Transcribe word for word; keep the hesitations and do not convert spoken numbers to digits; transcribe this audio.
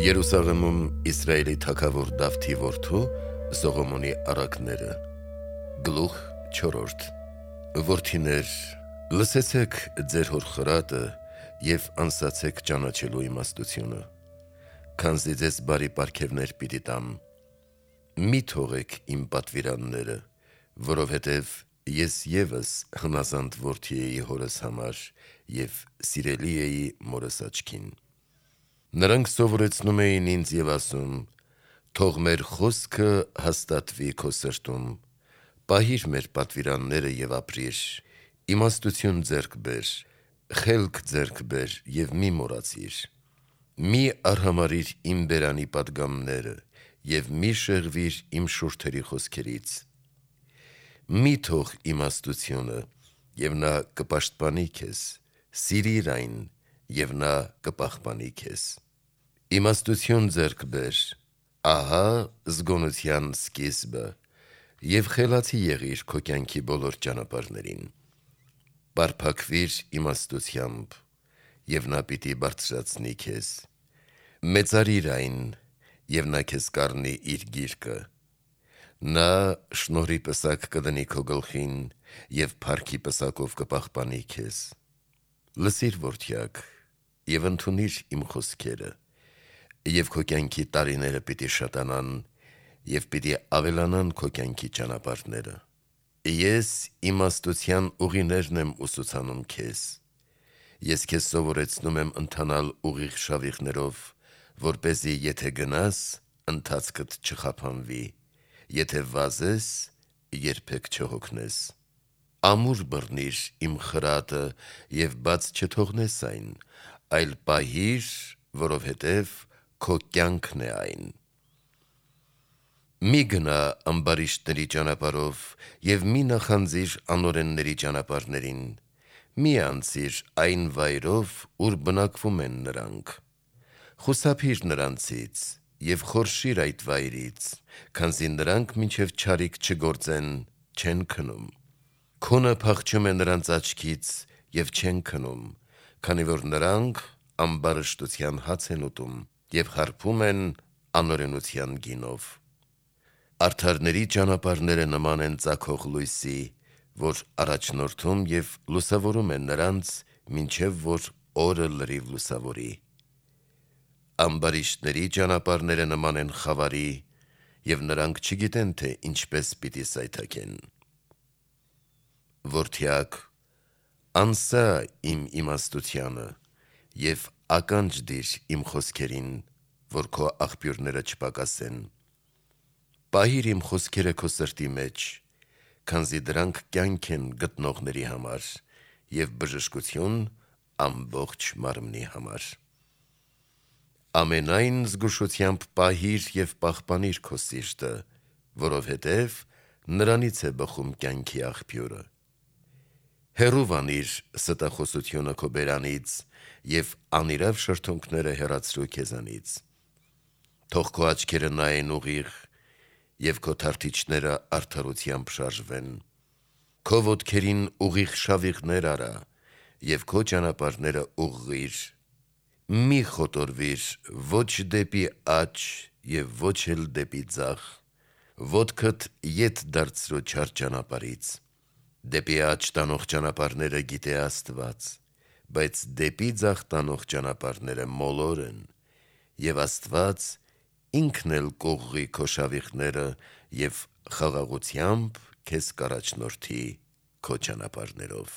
Երուսաղեմում Իսրայելի թագավոր Դավթի որդու Սողոմոնի առակները։ Գլուխ չորրորդ։ Որդիներ, լսեցեք ձեր հոր խրատը և անսացեք ճանաչելու իմաստությունը, քանզի ձեզ բարի պարգևներ պիտի տամ։ Մի թողեք իմ պատվիրանները, որովհետև ես ևս հնազանդ որդի էի հորս համար և սիրելի էի մորս աչքին։ Նրանք սովորեցնում էին ինձ և ասում. «Թող մեր խոսքը հաստատվի քո սրտում, պահիր մեր պատվիրանները և ապրիր, իմաստություն ձեռք բեր, խելք ձեռք բեր և մի մոռացիր։ Մի արհամարհիր իմ բերանի պատգամները և մի շեղվիր իմ շուրթերի խոսքերից։ Մի թող իմաստությունը, և նա կպաշտպանի քեզ, սիրիր այն, և նա կպահպանի քեզ։ Իմաստություն ձեռք բեր, ահա զգոնության սկիզբը, և խելացի եղիր քո կյանքի բոլոր ճանապարհներին։ Պարփակվիր իմաստությամբ, և նա պիտի բարձրացնի քեզ։ Մեծարիր այն, և նա քեզ կառնի իր գիրկը։ Նա շնորհի պսակ կդնի քո գլխին, և փառքի պսակով կպահպանի քեզ։ Լսիր, որդյակ, և ընդունիր իմ խոսքերը, և քո կյանքի տարիները պիտի շատանան, և պիտի ավելանան քո կյանքի ճանապարհները։ Ես իմաստության ուղիներն եմ ուսուցանում քեզ։ Ես քեզ սովորեցնում եմ ընթանալ ուղիղ շավիղներով, որպեսզի եթե գնաս, ընթացքդ չխափանվի, եթե վազես, երբեք չհոգնես։ Ամուր բռնիր իմ խրատը և բաց չթողնես այն, այլ պահիր, որովհետև քո կյանքն է այն։ Մի գնա ամբարիշտների ճանապարհով և մի նախանձիր անօրենների ճանապարհներին, մի անցիր այն վայրով, ուր բնակվում են նրանք։ Խուսափիր նրանցից և խորշիր այդ վայրից, քանզի նրանք մինչև չարիք չգործեն, չեն քնում։ Քունը փախչում է նրանց աչքից և չեն քնում, քանի որ նրանք ամբարշտության հաց են ուտում և խարփում են անօրենության գինով։ Արդարների ճանապարհները նման են ծագող լույսի, որ առաջնորդում և լուսավորում է նրանց, մինչև որ օրը լրիվ լուսավորի։ Ամբարիշտների ճանապարհները նման են խավարի, և նրանք չգիտեն, թե ինչպես պիտի սայթաքեն։ Որդյակ, անսա իմ իմաստությանը և ականջ դիր իմ խոսքերին, որ քո աղբյուրները չպակասեն։ Պահիր իմ խոսքերը քո սրտի մեջ, քանզի դրանք կյանք են գտնողների համար և բժշկություն ամբողջ մարմնի համար։ Ամենայն զգուշությամբ պահիր և պահպանիր քո սիրտը, որովհետև նրանից է բխում կյանքի աղբյուրը։ Հեռու վանիր ստախոսությունը քո բերանից և անիրավ շրթունքները հեռացրու քեզանից։ Թող քո աչքերը նայեն ուղիղ, և քո թարթիչները արդարությամբ շարժվեն։ Քո ոտքերին ուղիղ շավիղներ արա, և քո ճանապարհները ուղղիր։ Մի խոտորվիր ոչ դեպի աջ և ոչ էլ դեպի ձախ, ոտքդ ետ դարձրու չար ճանապարհից։ Դեպի աջ տանող ճանապարհները գիտե Աստված, բայց դեպի ձախ տանող ճանապարհները մոլոր են, և Աստված ինքն էլ կուղղի քո շավիղները և խաղաղությամբ քեզ կառաջնորդի քո ճանապարհներով։